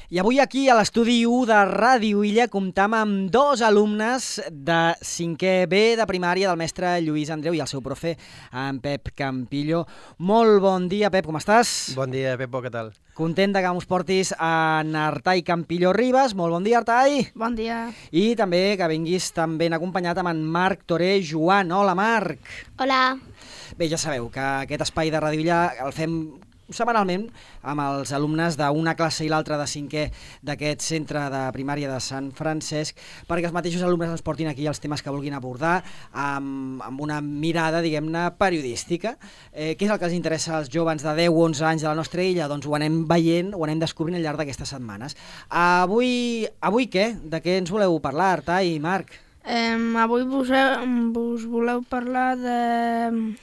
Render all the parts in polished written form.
I avui aquí a l'estudi 1 de Ràdio Illa comptam amb dos alumnes de 5è B de primària del mestre Lluís Andreu i el seu profe, en Pep Campillo. Molt bon dia, Pep, com estàs? Bon dia, Pepo, què tal? Content de que mos portis en Artai Campillo Ribas. Molt bon dia, Artai. Bon dia. I també que vinguis tan ben acompanyat amb en Marc Toré Joan. Hola, Marc. Hola. Bé, ja sabeu que aquest espai de Ràdio Illa el fem setmanalment amb els alumnes d'una classe i l'altra de 5è d'aquest centre de primària de Sant Francesc, perquè els mateixos alumnes ens portin aquí els temes que vulguin abordar amb una mirada, diguem-ne, periodística. Què és el que els interessa als joves de 10 o 11 anys de la nostra illa? Doncs ho anem veient, ho anem descobrint al llarg d'aquestes setmanes. Avui què? De què ens voleu parlar, Artai i Marc? Avui vos voleu parlar de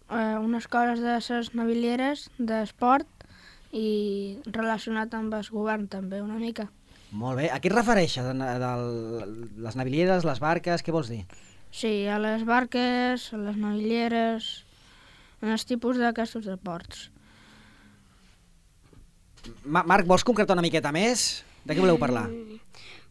unes coses de les navilieres d'esport i relacionat amb el govern també una mica. Molt bé. A què et refereixes? Les navilieres, les barques, què vols dir? Sí, a les barques, a les navilieres, en els tipus d'aquests esports. Marc, vols concretar una miqueta més? De què voleu parlar?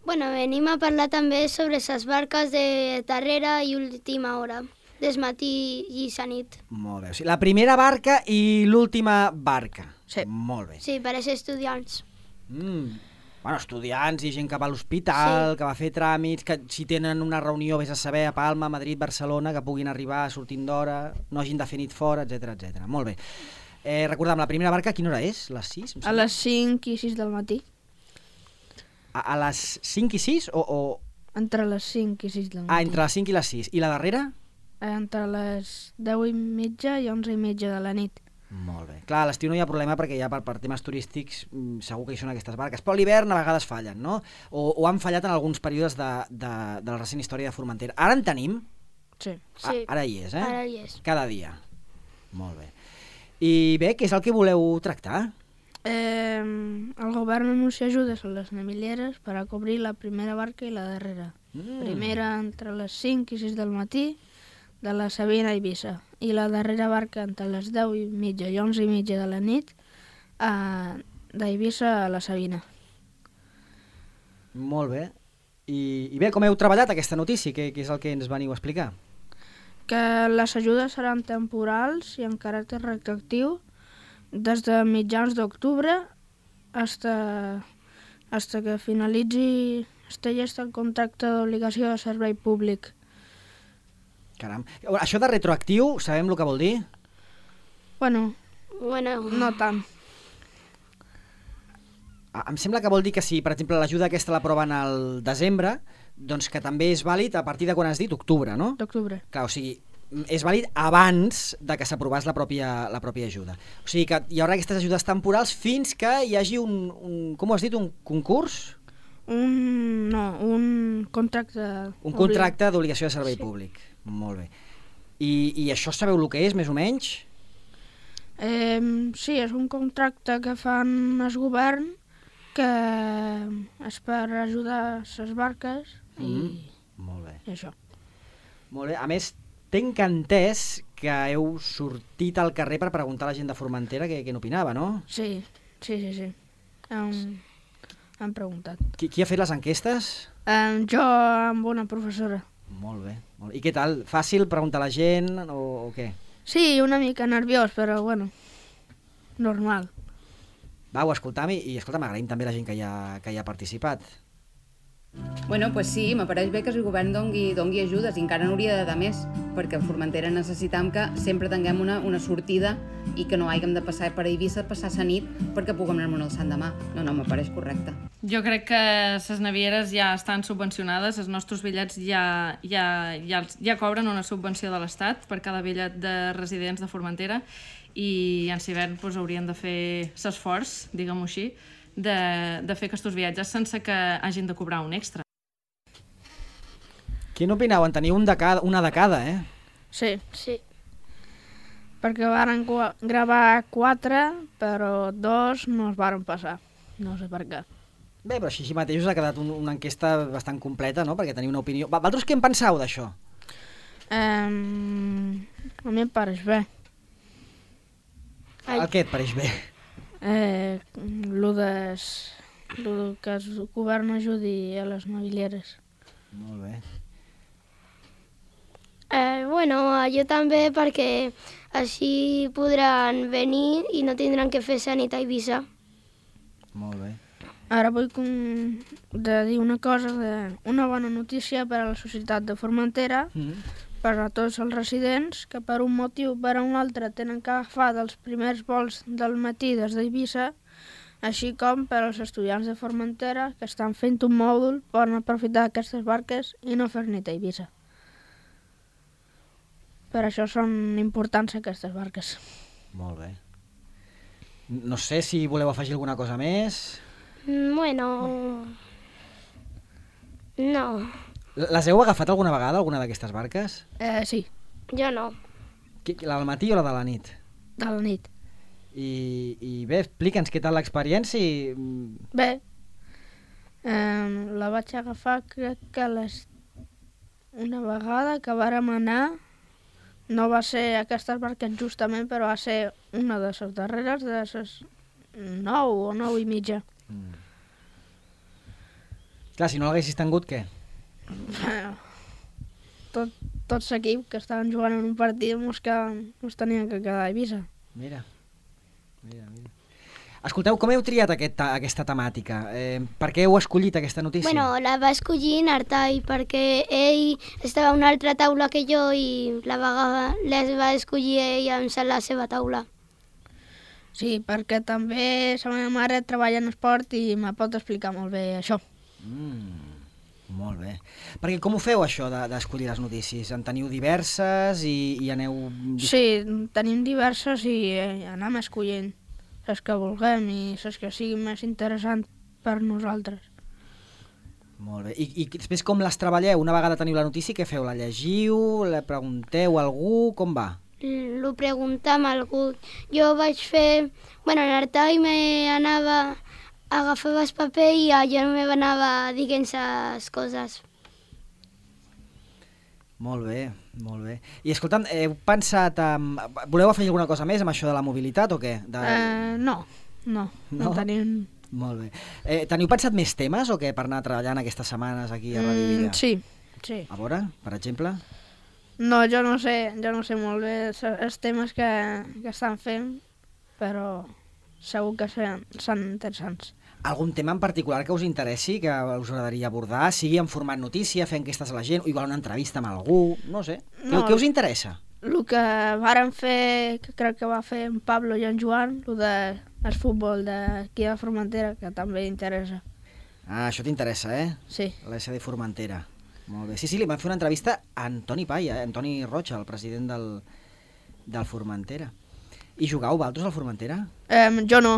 Bueno, venim a parlar també sobre les barques de darrera i última hora, des matí i la nit. Molt bé. O sigui, la primera barca i l'última barca. Sí. Molt bé. Sí, per a estudiants. Bueno, estudiants i gent que va a l'hospital, Sí. que va a fer tràmits, que si tenen una reunió, vés a saber, a Palma, Madrid, Barcelona, que puguin arribar sortint d'hora, no hagin de fer nit fora, etc etc. Molt bé. Recordem, la primera barca a quina hora és? Les 6? A les 5 i 6 del matí. A les 5 i 6 o... Entre les 5 i 6 del matí. Ah, entre les 5 i les 6. I la darrera? Entre les 10 i mitja i 11 i mitja de la nit. Molt bé. Clar, a l'estiu no hi ha problema perquè ja per temes turístics segur que hi són aquestes barques, però a l'hivern a vegades fallen, no? O han fallat en alguns períodes de la recent història de Formentera. Ara en tenim? Sí. Sí. Ara hi és, eh? Ara hi és. Cada dia. Molt bé. I bé, què és el que voleu tractar? El govern anuncia ajudes a les navilieres per a cobrir la primera barca i la darrera. Primera entre les 5 i 6 del matí, de la Sabina a Eivissa, i la darrera barca entre les 10 i mitja i 11 i mitja de la nit d'Eivissa a la Sabina. Molt bé. I bé, com heu treballat aquesta notícia? Què és el que ens veniu a explicar? Que les ajudes seran temporals i en caràcter retroactiu des de mitjans d'octubre fins que finalitzi el contracte d'obligació de servei públic. Caram. Això de retroactiu, sabem el que vol dir? Bueno, Bueno, no tant. Em sembla que vol dir que si, per exemple, l'ajuda aquesta l'aproven al desembre, doncs que també és vàlid a partir de quan has dit octubre, no? D'octubre. Clar, o sigui, és vàlid abans de que s'aprovés la pròpia ajuda. O sigui que hi haurà aquestes ajudes temporals fins que hi hagi com ho has dit, un concurs? Un contracte... Un contracte d'obligació de servei Sí. públic. Molt bé. I això sabeu el que és, més o menys? Sí, és un contracte que fan el govern que és per ajudar les barques i Molt bé. això. Molt bé. A més, tenc entès que heu sortit al carrer per preguntar a la gent de Formentera què n'opinava, no? Sí. Han preguntat. Qui ha fet les enquestes? Jo amb una professora. Molt bé. I què tal? Fàcil preguntar a la gent o què? Sí, una mica nerviós, però bueno, normal. Va, ho escoltam i escolta'm, agraïm també la gent que hi ha participat. Bueno, pues sí, m'apareix bé que el govern dongui ajudes i encara n'hauria de dar més, perquè a Formentera necessitam que sempre tinguem una sortida i que no haguem de passar per Eivissa, passar la nit perquè puguem anar-me'n al Sant Demà. No, m'apareix correcte. Jo crec que les navieres ja estan subvencionades, els nostres bitllets ja cobren una subvenció de l'Estat per cada bitllet de residents de Formentera i en hivern doncs, haurien de fer l'esforç, diguem-ho així, de fer aquests viatges sense que hagin de cobrar un extra. Quin opineu? En teniu una de cada, eh? Sí, sí. perquè varen gravar 4, però 2 no es varen passar. No sé per què. Bé, però així mateix us ha quedat una enquesta bastant completa, no? Perquè teniu una opinió. Vosaltres què en penseu d'això? A mi em pareix bé. El què et pareix bé? Lo de que el govern ajudi a les navilieres. Molt bé. Bueno, jo també, perquè així podran venir i no tindran que fer sanit a Eivissa. Molt bé. Ara vull dir una cosa, una bona notícia per a la societat de Formentera, per a tots els residents que per un motiu o per a un altre tenen que agafar dels primers vols del matí des d'Eivissa, així com per als estudiants de Formentera que estan fent un mòdul poden aprofitar aquestes barques i no fer nit a Eivissa. Per això són importants aquestes barques. Molt bé. No sé si voleu afegir alguna cosa més. Bueno... No. Les heu agafat alguna vegada, alguna d'aquestes barques? Sí, Jo no. La del matí o la de la nit? de la nit. I bé, explica'ns què tal l'experiència. Bé, la vaig agafar crec que una vegada que vàrem anar. No va ser aquestes barques justament, però va ser una de les darreres, de les 9 o 9 i mitja. Clar, si no l'haguessis tingut, què? Tots l'equip que estaven jugant en un partit mos tenien que quedar a Eivissa. Mira. Escolteu, com heu triat aquesta temàtica? Per què heu escollit aquesta notícia? Bueno, la va escollir Nartai perquè ell estava a una altra taula que jo i les va escollir ell en la seva taula. Sí, perquè també la meva mare treballa en esport i me pot explicar molt bé això. Molt bé. Perquè com ho feu, això, d'escollir les notícies? En teniu diverses i aneu... Sí, tenim diverses i anem escollint les que vulguem i les que siguin més interessants per nosaltres. Molt bé. I després com les treballeu? Una vegada teniu la notícia, què feu? La llegiu? La pregunteu a algú? Com va? Lo preguntam a algú. Jo vaig fer... Bueno, l'Artai m'anava... Agafava el paper i jo m'anava dient les coses. Molt bé, molt bé. I escolta'm, heu pensat... Voleu afegir alguna cosa més amb això de la mobilitat o què? No tenim... Molt bé. Teniu pensat més temes o què per anar treballant aquestes setmanes aquí a Ràdio Villa? Sí. A veure, per exemple? No, jo no sé molt bé els temes que estan fent, però segur que són interessants. Algun tema en particular que us interessi, que us agradaria abordar, sigui en format notícia, fer enquestes a la gent, o igual una entrevista amb algú, no sé. Què us interessa? El que vàrem fer, que crec que va fer en Pablo i en Joan, el del futbol d'aquí de Formentera, que també interessa. Ah, això t'interessa, Sí. L'SD Formentera. Molt bé. Sí, li vam fer una entrevista a Antoni Paya, Antoni Rocha, el president del Formentera. I jugàveu vosaltres al Formentera? Jo no,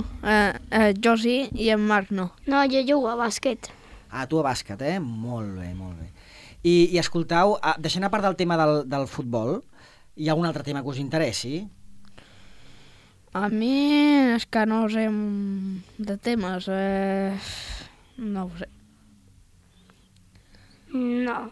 jo sí i en Marc no. No, jo jugo a bàsquet. Ah, tu a bàsquet, Molt bé, molt bé. I escoltau, deixant a part del tema del futbol, hi ha algun altre tema que us interessi? A mi és que no sé de temes, no ho sé. No,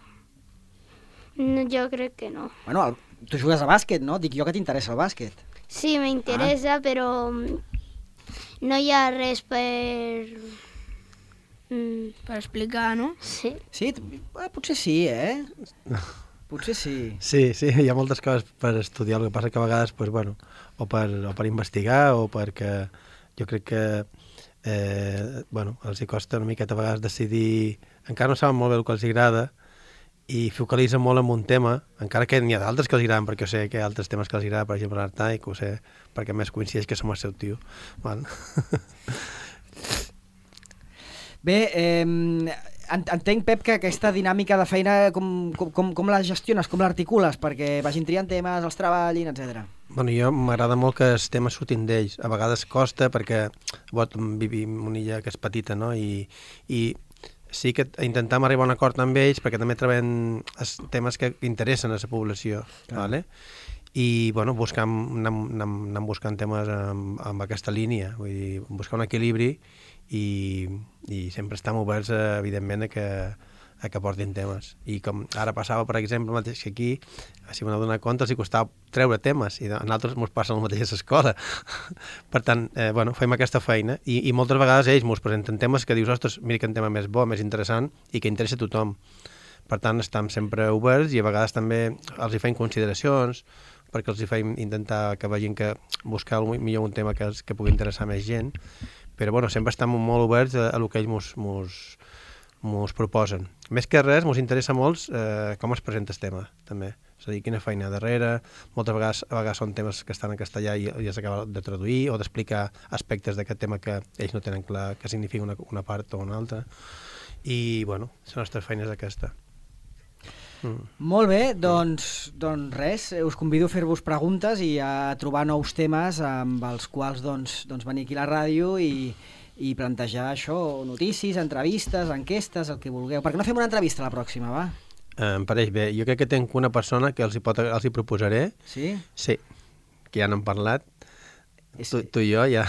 jo crec que no. Bueno, tu jugues a bàsquet, no? Dic jo que t'interessa el bàsquet. Sí, m'interessa, però no hi ha res per... Per explicar, no? Sí. Sí? Potser sí, Potser sí. Sí, hi ha moltes coses per estudiar, el que passa que a vegades, pues, bueno, o per investigar o perquè jo crec que els hi costa una miqueta a vegades decidir, encara no saben molt bé el que els agrada i focalitzen molt en un tema, encara que n'hi ha d'altres que els agraden, perquè jo sé que hi ha altres temes que els agraden, per exemple l'Artai, que ho sé, perquè més coincideix que som el seu tio. Val? Bé, entenc, Pep, que aquesta dinàmica de feina com la gestiones, com l'articules, perquè vagin triant temes, els treballin, etc. Bueno, jo m'agrada molt que els temes surtin d'ells. A vegades costa perquè vivim en una illa que és petita, no? I sí que intentam arribar a un acord amb ells perquè també treballem els temes que interessen a la població, ¿vale? I bueno, anem buscant temes amb aquesta línia, vull dir, buscar un equilibri i sempre estem oberts, evidentment, a a que portin temes. I com ara passava, per exemple, el mateix que aquí, si m'he donat compte, els hi costava treure temes, i a nosaltres ens passa el mateix a l'escola. Per tant, bueno, fem aquesta feina, i moltes vegades ells ens presenten temes que dius, ostres, mira que un tema més bo, més interessant, i que interessa a tothom. Per tant, estem sempre oberts, i a vegades també els hi fem consideracions, perquè els hi fem intentar que vegin que buscar millor un tema que pugui interessar més gent, però bueno, sempre estem molt oberts a el que ells mos proposen. Més que res, mos interessa molt com es presenta el tema, també. És a dir, quina feina darrere, moltes vegades són temes que estan en castellà i els acaba de traduir o d'explicar aspectes d'aquest tema que ells no tenen clar què significa una part o una altra. I, bueno, la nostra feina és aquesta. Molt bé, doncs res, us convido a fer-vos preguntes i a trobar nous temes amb els quals venir aquí a la ràdio i plantejar això, notícies, entrevistes, enquestes, el que vulgueu. Per què no fem una entrevista la pròxima, va? Em pareix bé. Jo crec que tinc una persona que els hi proposaré. Sí? Sí, que ja n'hem parlat. Tu i jo ja.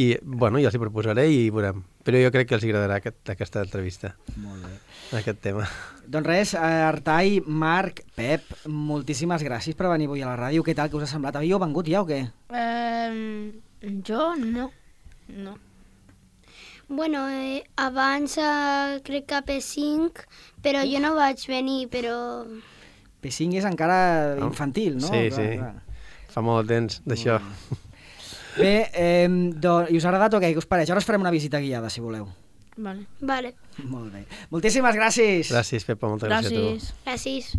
I, bueno, ja els hi proposaré i veurem. Però jo crec que els agradarà aquesta entrevista. Molt bé. Aquest tema. Doncs res, Artai, Marc, Pep, moltíssimes gràcies per venir avui a la ràdio. Què tal, què us ha semblat? Havíeu vengut ja o què? Jo no. Bueno, abans crec que P5, però jo no vaig venir, però... P5 és encara infantil, no? Sí, sí. Fa molt temps d'això. Bé, i us ha agradat o què? Què us pareix? Ara us farem una visita guiada, si voleu. Vale. Vale. Molt bé. Moltíssimes gràcies. Gràcies, Pepa, moltes gràcies a tu. Gràcies.